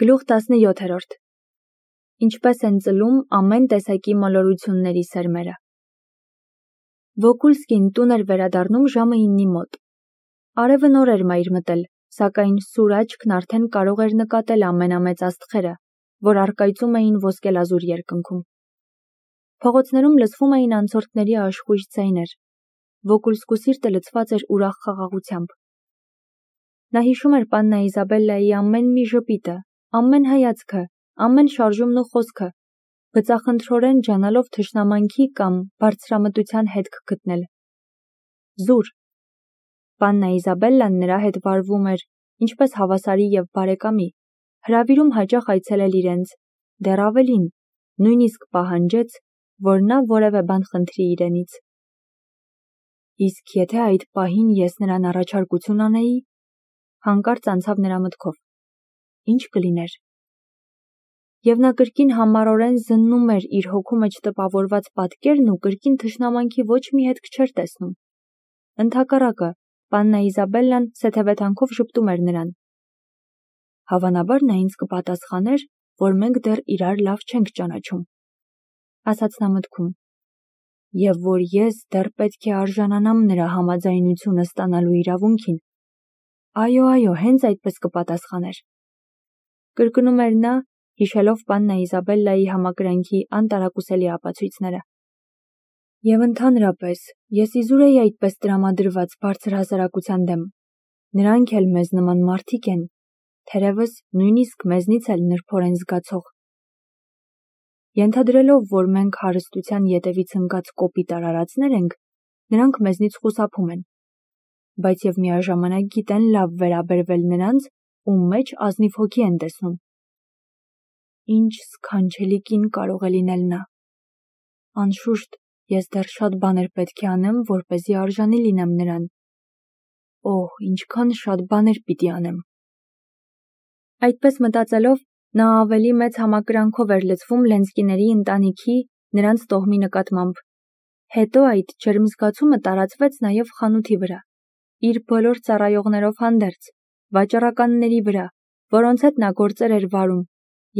Գլուխ 17. Ինչպես են ծլում ամեն տեսակի մոլորությունների սերմերը։ Վոկուլսկին տուն էր վերադառնում ժամը 9-ի մոտ։ Արևը նոր էր մայր մտել, սակայն սուր աչքն արդեն կարող էր նկատել ամենամեծ աստղերը, որ առկայծում էին ոսկելազուր երկնքում։ Փողոցներում լսվում էին անցորդների աշխույժ ձայներ։ Վոկուլսկու սիրտը լցված էր ուրախ խաղաղությամբ։ Նա հիշում էր պաննա Իզաբելլայի ամեն մի ժպիտը, ամեն հայացքը, ամեն շարժումն ու խոսքը, բծախնդրորեն ջանալով թշնամանքի կամ բարձրամտության հետք գտնել։ Զուր։ Պաննա Իզաբելլան նրա հետ վարվում էր, ինչպես հավասարի և բարեկամի, հրավիրում հաճախ այցելել իրենց, դեռ ավելին, նույնիսկ պահանջեց, որ նա որևէ բան խնդրի իրենից։ Իսկ եթե այդ պահին ես նրան առաջարկություն անեի, հանկարծ անցավ նրա մտքով, ինչ կլիներ։ Եվ նա կրկին համառորեն զննում էր իր հոգու մեջ տպավորված պատկերն ու կրկին թշնամանքի ոչ մի հետք չէր տեսնում։ Ընդհակառակը, պաննա Իզաբելլան սեթևեթանքով ժպտում էր նրան։ Հավանաբար նա ինձ կպատասխաներ, որ մենք դեռ իրար լավ չենք ճանաչում, ասաց նա մտքում, և որ ես դեռ պետք է արժանանամ նրա համաձայնությունը ստանալու իրավունքին։ Այո, հենց այդպես կպատասխաներ, կրկնում էր նա, հիշելով պաննա Իզաբելլայի համակրանքի անտարակուսելի ապացույցները։ Եվ ընդհանրապես, ես իզուր էի այդպես տրամադրված բարձր հասարակության դեմ։ Նրանք էլ մեզ նման մարդիկ են, թերևս նույնիսկ մեզնից էլ նրբորեն զգացող։ Ենթադրելով, որ մենք հարստության ետևից ընկած կոպիտ արարածներ ենք, նրանք մեզնից խուսափում են, բայց և միաժամանակ գիտեն լավ վերաբերվել նրանց, ում մեջ ազնիվ հոգի են տեսնում։ Ինչ սքանչելի կին կարող է լինել նա։ Անշուշտ, ես դեռ շատ բաներ պետք է անեմ, որպեսզի արժանի լինեմ նրան։ Օհ, ինչքան շատ բաներ պիտի անեմ։ Այդպես մտածելով, նա ավելի մեծ համակրանքով էր լցվում Լենսկիների ընտանիքի, նրանց տոհմի նկատմամբ։ Հետո այդ ջերմ զգացումը տարածվեց նաև խանութի վրա, իր բոլոր ծառայողներով հանդերձ, վաճառականների վրա, որոնց հետ նա գործեր էր վարում,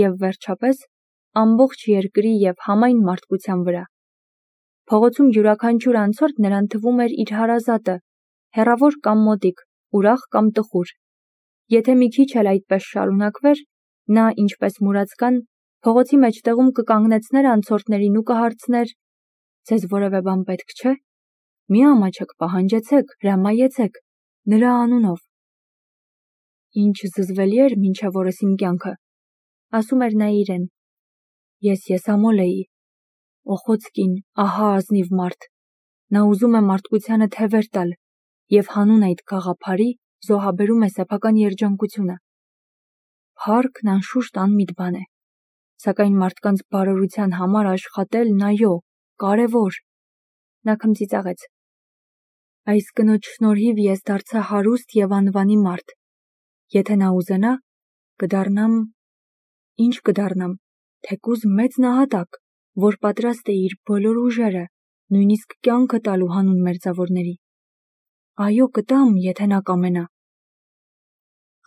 և վերջապես ամբողջ երկրի և համայն մարդկության վրա։ Փողոցում յուրաքանչյուր անցորդ նրան թվում էր իր հարազատը, հեռավոր կամ մոտիկ, ուրախ կամ տխուր։ Եթե մի քիչ էլ այդպես շարունակվեր, նա, ինչպես մուրացկան, փողոցի մեջտեղում կկանգնեցներ անցորդներին ու կհարցներ. «Ձեզ որևէ բան պետք չէ։ Մի ամաչեք, պահանջեցեք, հրամայեցեք, նրա անունով»։ Ինչ զզվելի էր մինչև օրս իմ կյանքը, ասում էր նա իրեն։ Ես եսամոլ էի։ Օխոցկին, ահա ազնիվ մարդ։ Նա ուզում է մարդկությանը թևեր տալ և հանուն այդ գաղափարի զոհաբերում է սեփական երջանկությունը։ Փառքն անշուշտ անմիտ բան է, սակայն մարդկանց բարօրության համար աշխատելն, այո, կարևոր։ Նա քմծիծաղեց։ Այս կնոջ շնորհիվ ես դարձա հարուստ և անվանի մարդ։ Եթե նա ուզենա, կդառնամ… Ինչ կդառնամ, թեկուզ մեծ նահատակ, որ պատրաստ է իր բոլոր ուժերը, նույնիսկ կյանքը տալու հանուն մերձավորների։ Այո, կտամ, եթե նա կամենա։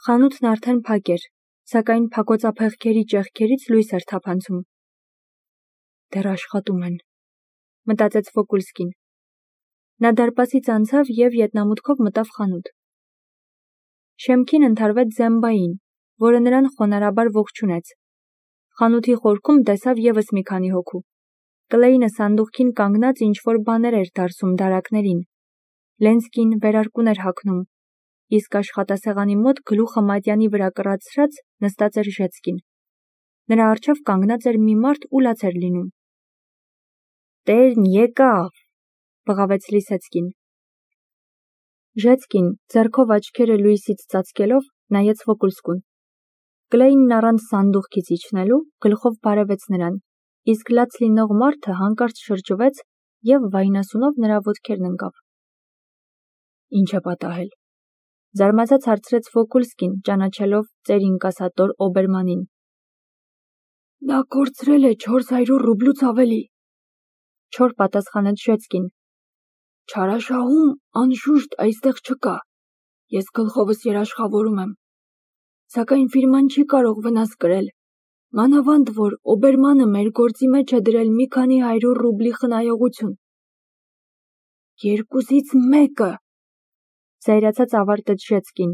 Խանութն արդեն փակ էր, սակայն փակոցափեղկերի ճեղքերից լույս էր թափանցում։ Դեռ աշխատում են, մտածեց Վոկուլսկին։ Նա դարպասից անցավ և ետնամուտքով մտավ խանութ։ Շեմքին ընդհարվեց Զեմբային, որը նրան խոնարհաբար ողջունեց։ Խանութի խորքում տեսավ ևս մի քանի հոգու։ Կլեյնը սանդուղքին կանգնած ինչ-որ բաներ էր դարսում դարակներին։ Լենսկին վերարկուն էր հագնում, իսկ աշխատասեղանի մոտ գլուխը մատյանի վրա կռացրած նստած էր Ժեցկին։ Նրա առջև կանգնած էր մի մարդ ու լաց էր լինում։ Տերն եկավ, բղավեց Լիսեցկին։ Ժեցկին, ձեռքով աչքերը լույսից ծածկելով, նայեց Վոկուլսկուն։ Կլեյնն առանց սանդուղքից իջնելու գլխով բարևեց նրան, իսկ լաց լինող մարդը հանկարծ շրջվեց և վայնասունով նրա ոտքերն ընկավ։ Ինչ է պատահել, զարմացած հարցրեց Վոկուլսկին, ճանաչելով ծեր ինկասատոր Օբերմանին։ Նա կորցրել է 400 ռուբլուց ավելի, չոր պատասխանեց Ժեցկին։ Չարաշահում, անշուշտ, այստեղ չկա։ Ես գլխովս երաշխավորում եմ։ Սակայն ֆիրման չի կարող վնաս կրել։ Մանավանդ որ Օբերմանը մեր գործի մեջ է դրել մի քանի 100 ռուբլի խնայողություն։ 2-ից 1-ը, զայրացած ավարտեց Ժեցկին։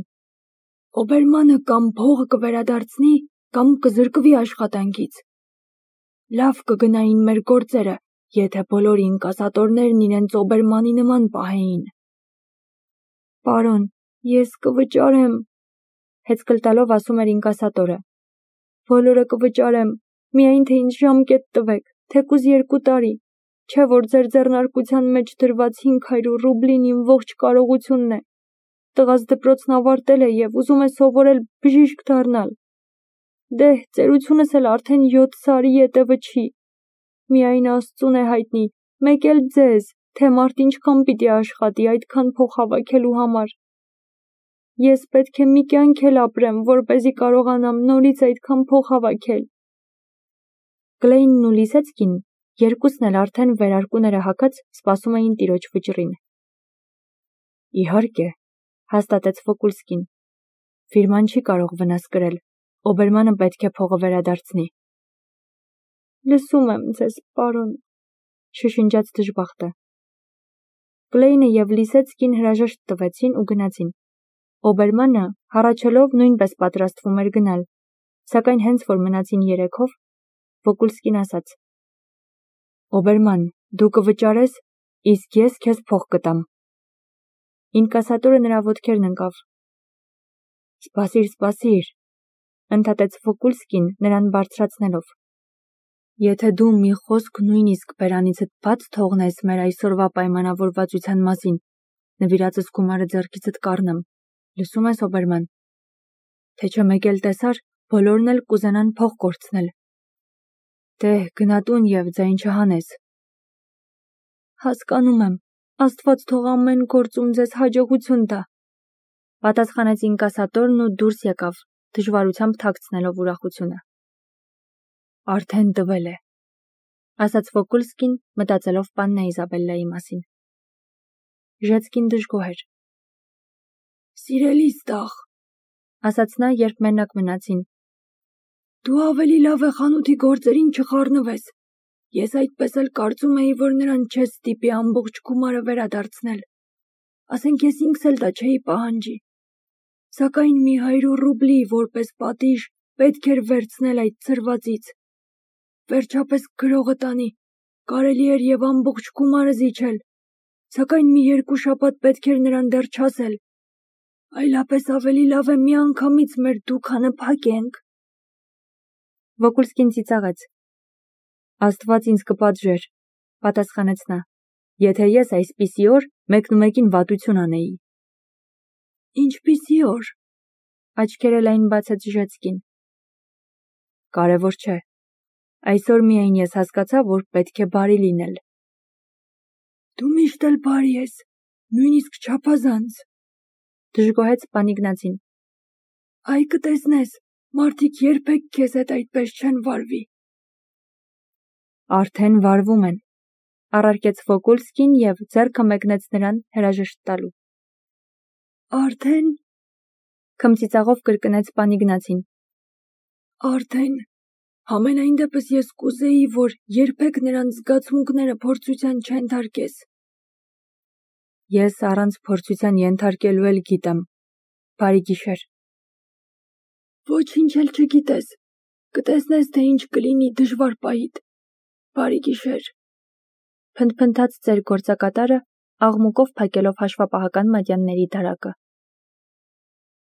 Օբերմանը կամ փողը կվերադարձնի, կամ կզրկվի աշխատանքից։ Լավ կգնային մեր գործերը, եթե բոլոր ինկասատորներն իրենց Օբերմանի նման պահեին։ Պարոն, ես կվճարեմ, հեծկլ տալով ասում էր ինկասատորը։ Բոլորը կվճարեմ, միայն թե ինձ ժամկետ տվեք, թեկուզ 2 տարի, չէ որ ձեր ձեռնարկության մեջ դրված 500 ռուբլին իմ ողջ կարողությունն է։ Տղաս դպրոցն ավարտել է և ուզում է սովորել բժիշկ դառնալ։ Դե, ծերությունս էլ արդեն 7 սարի ետևը չի։ Միայն Աստծուն է հայտնի, մեկ էլ ձեզ, թե մարդ ինչքան պիտի աշխատի այդքան փող հավաքելու համար։ Ես պետք է մի կյանք էլ ապրեմ, որպեսզի կարողանամ նորից այդքան փող հավաքել։ Գլեյնն ու Լիսեցկին երկուսն էլ արդեն վերարկուները հագած սպասում էին տիրոջ վճռին։ Իհարկե, հաստատեց Վոկուլսկին։ Ֆիրման չի կարող վնաս կրել, Օբերմանը պետք է փողը վերադարձնի։ Լսում եմ ձեզ, պարոն, շշնջաց դժբախտը։ Գլեյնը և Լիսեցկին հրաժեշտ տվեցին ու գնացին։ Օբերմանը, հառաչելով, նույնպես պատրաստվում էր գնալ, սակայն հենց որ մնացին երեքով, Վոկուլսկին ասաց. Օբերման, դու կվճարես, իսկ ես քեզ փող կտամ։ Ինկասատորը նրա ոտքերն ընկավ։ Սպասիր, ընդհատեց Վոկուլսկին նրան բարձրացնելով։ Եթե դու մի խոսք նույնիսկ բերանիցդ բաց թողնես մեր այսօրվա պայմանավորվածության մասին, նվիրածս գումարը ձեռքիցդ կառնեմ, լսում ես, Օբերման, թե չէ մեկ էլ տեսար, բոլորն էլ կուզենան փող կորցնել։ Դե, գնա տուն և ձայն չհանես։ Հասկանում եմ, Աստված թող ամեն գործում ձեզ հաջողություն տա, պատասխանեց ինկասատորն ու դուրս եկավ, դժվարությամբ թաքցնելով ուրախությունը։ Արդեն տվել է, ասաց Վոկուլսկին, մտածելով պաննա Իզաբելլայի մասին։ Ժեցկին դժգոհ էր։ Սիրելիս տաղ, ասաց նա, երբ մենակ մնացին։ Դու ավելի լավ է խանութի գործերին չխառնվես։ Ես այդպես էլ կարծում էի, որ նրան չես ստիպի ամբողջ գումարը վերադարձնել։ Ասենք ես ինքս էլ դա չէի պահանջի։ Սակայն մի 100 ռուբլի որպես պատիժ պետք էր վերցնել այդ ցրվածից։ Վերջապես գրողը տանի, կարելի էր և ամբողջ գումարը զիջել, սակայն մի 2 շաբաթ պետք էր նրան դեռ չասել։ Այլապես ավելի լավ է միանգամից մեր դուքանը փակենք։ Վոկուլսկին ծիծաղեց։ Աստված ինձ կպատժեր, պատասխանեց նա, եթե ես այսպիսի օր մեկնումեկին վատություն անեի։ Ինչպիսի օր, աչքերը լայն բացեց Ժեցկին։ Կարևոր չէ, այսօր միայն ես հասկացա, որ պետք է բարի լինել։ Դու միշտ էլ բարի ես, նույնիսկ չափազանց, դժգոհեց պան Իգնացին։ Այ կտեսնես, մարդիկ երբեք քեզ հետ այդպես չեն վարվի։ Արդեն վարվում են, առարկեց Վոկուլսկին և ձեռքը մեկնեց նրան հրաժեշտ տալու։ Արդեն, քմծիծաղով կրկնեց պան Իգնացին։ Արդեն, համենայն դեպս ես կուզեի, որ երբեք նրանց զգացմունքները փորձության չենթարկես։ Ես առանց փորձության ենթարկելու էլ գիտեմ, բարի գիշեր։ Ոչինչ էլ չգիտես, կտեսնես, թե ինչ կլինի դժվար պահիդ, բարի գիշեր, փնթփնթաց ծեր գործակատարը, աղմուկով փակելով հաշվապահական մատյանների դարակը։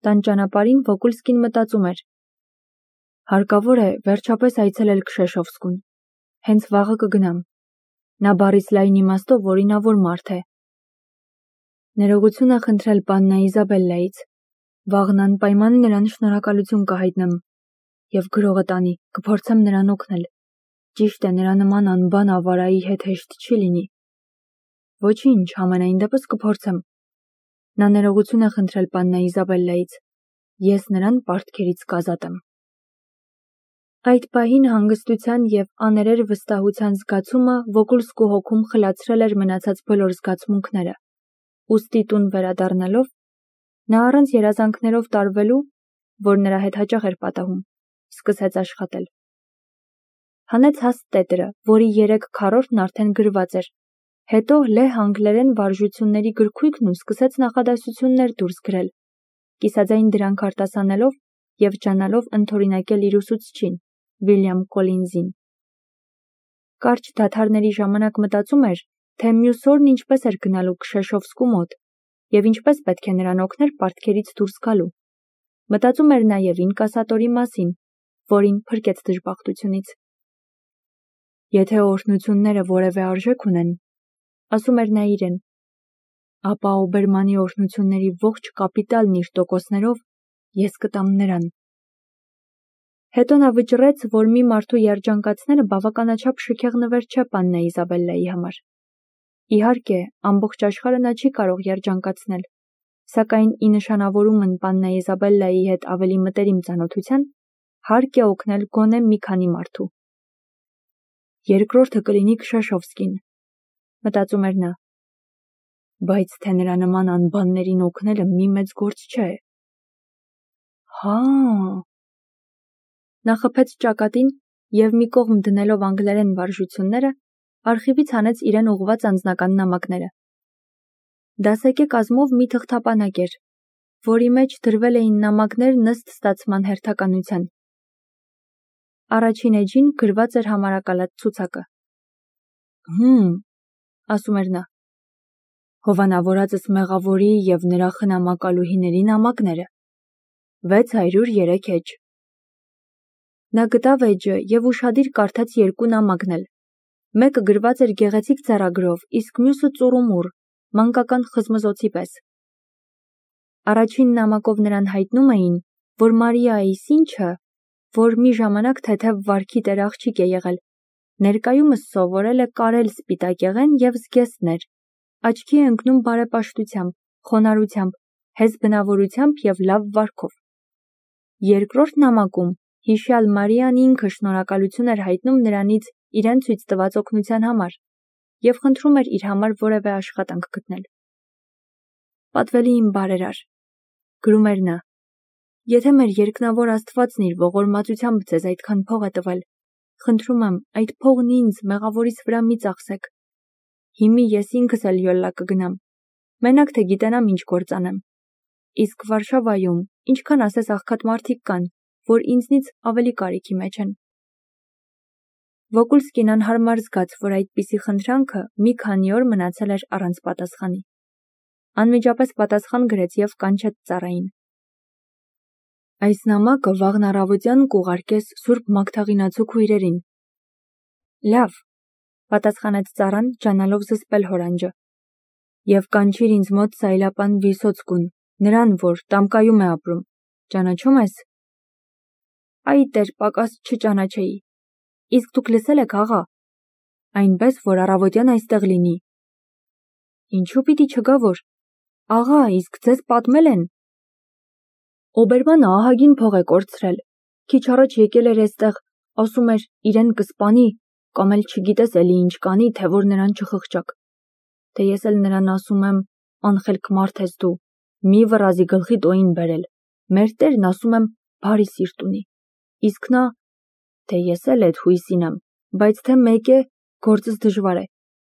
Տան ճանապարհին Վոկուլսկին մտածում էր. հարկավոր է վերջապես այցելել Քշեշովսկուն, հենց վաղը կգնամ, նա բառից լայն իմաստով օրինավոր մարդ է։ Ներողություն է խնդրել պաննա Իզաբելլայից, վաղն անպայման նրան շնորհակալություն կհայտնեմ, և գրողը տանի, կփորձեմ նրան օգնել, ճիշտ է նրա նման անբան ավարայի հետ հեշտ չի լինի։ Ոչինչ, համենայն դեպս կփորձեմ։ Նա ներողություն է խնդրել պաննա Իզաբելլայից, ես նրան պարտքերից կազատեմ։ Այդ պահին հանգստության և աներեր վստահության զգացումը Վոկուլսկու հոգում խլացրել էր մնացած բոլոր զգացմունքները, ուստի տուն վերադառնալով, նա առանց երազանքներով տարվելու որ նրա հետ հաճախ էր պատահում, սկսեց աշխատել։ Հանեց հաստ տետրը, որի 3 քառորդն արդեն գրված էր, հետո լեհ անգլերեն վարժությունների գրքույկն ու սկսեց նախադասություններ դուրս գրել, կիսաձայն դրանք արտասանելով և ջանալով ընդօրինակել իր ուսուցչին, Վիլյամ Կոլինզին։ Կարճ դադարների ժամանակ մտածում էր, թե մյուս օրն ինչպես էր գնալու Քշեշովսկու մոտ և ինչպես պետք է նրան օգներ պարտքերից դուրս գալու։ Մտածում էր նաև ինկասատորի մասին, որին փրկեց դժբախտությունից։ Եթե օրհնությունները որևէ արժեք ունեն, ասում էր նա իրեն, ապա Օբերմանի օրհնությունների ողջ կապիտալն իր տոկոսներով ես կտամ նրան։ Հետո նա վճռեց, որ մի մարդու երջանկացնելը բավականաչափ շքեղ նվեր չէ Պաննա Իզաբելլայի համար։ Իհարկե, ամբողջ աշխարհը նա չի կարող երջանկացնել, սակայն ի նշանավորումն Պաննա Իզաբելլայի հետ ավելի մտերիմ ծանոթության, հարկ է օգնել գոնե մի քանի մարդու։ Երկրորդը կլինի Քշեշովսկին, մտածում էր նա, բայց թե նրա նման անբաններին օգնելը մի մեծ գործ չէ։ Հա… Նա խփեց ճակատին և մի կողմ դնելով անգլերեն վարժությունները, արխիվից հանեց իրեն ուղղված անձնական նամակները։ Դասակե կազմով մի թղթապանակ էր, որի մեջ դրվել էին նամակներն ըստ ստացման հերթականության։ Առաջին էջին գրված էր համարակալած ցուցակը։ Ասում էր նա, հովանավորածս մեղավորի և նրա խնամակալուհիների նամակները, 603 էջ։ Նա գտավ էջը և ուշադիր կարդաց 2 նամակն էլ։ Մեկը գրված էր գեղեցիկ ձեռագրով, իսկ մյուսը ծուռումուռ, մանկական խզմզոցի պես։ Առաջին նամակով նրան հայտնում էին, որ Մարիայի սինչը, որ մի ժամանակ թեթև վարքի տեր աղջիկ է եղել, ներկայումս սովորել է կարել սպիտակեղեն և զգեստներ, աչքի է ընկնում բարեպաշտությամբ, խոնարհությամբ, հեզ բնավորությամբ և լավ վարքով։ Երկրորդ նամակում հիշյալ Մարիան ինքը շնորհակալություն էր հայտնում նրանից իրեն ցույց տված օգնության համար և խնդրում էր իր համար որևէ աշխատանք գտնել։ Պատվելի իմ բարերար, գրում էր նա, եթե մեր երկնավոր Աստվածն իր ողորմածությամբ ձեզ այդքան փող է տվել, խնդրում եմ, այդ փողն ինձ մեղավորիս վրա մի ծախսեք։ Հիմի ես ինքս էլ յոլլա կգնամ, մենակ թե գիտենամ ինչ գործ անեմ։ Իսկ Վարշավայում ինչքան ասես աղքատ մարդիկ կան, որ ինձնից ավելի կարիքի մեջ են։ Վոկուլսկին անհարմար զգաց, որ այդպիսի խնդրանքը մի քանի օր մնացել էր առանց պատասխանի։ Անմիջապես պատասխան գրեց և կանչեց ծառային։ Այս նամակը վաղն առավոտյան կուղարկես Սուրբ Մագդաղինացու քույրերին։ Լավ, պատասխանեց ծառան, ջանալով զսպել հորանջը։ Եվ կանչիր ինձ մոտ Սայլապան Վիսոցկուն, նրան, որ Տամկայում է ապրում, ճանաչում ես։ Այ տեր, պակաս չճանաչեի։ Իսկ դուք լսել եք, աղա, այնպես, որ առավոտյան այստեղ լինի։ Ինչու պիտի չգա որ։ Աղա, իսկ ձեզ պատմել են։ Օբերմանը ահագին փող է կորցրել։ Քիչ առաջ եկել էր էստեղ, ասում էր իրեն կսպանի, կամ էլ չգիտես էլի ինչ կանի, թե որ նրան չխղճակ։ Թե ես էլ նրան ասում եմ, անխելք մարդ ես դու, մի վռազի գլխի տոյին բերել, մեր տերն ասում եմ բարի սիրտ ունի։ Իսկ նա, թե ես էլ էդ հույսին եմ, բայց թե մեկ է, գործս դժվար է,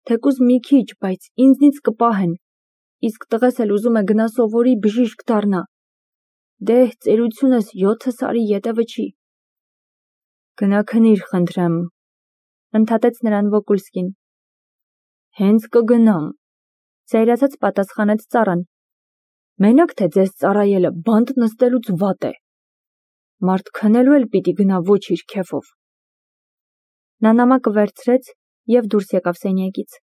թեկուզ մի քիչ, բայց ինձնից կպահեն, իսկ տղես էլ ուզում է գնա սովորի, բժիշկ դառնա։ Դե, ծերությունս 7 սարի ետևը չի։ Գնա քնիր, խնդրեմ, ընդհատեց նրան Վոկուլսկին։ Հենց կգնամ, զայրացած պատասխանեց ծառան։ Մենակ թե ձեզ ծառայելը բանտ նստելուց վատ է։ Մարդ քնելու էլ պիտի գնա ոչ իր քեֆով։ Նա նամակը վերցրեց և դուրս եկավ սենյակից։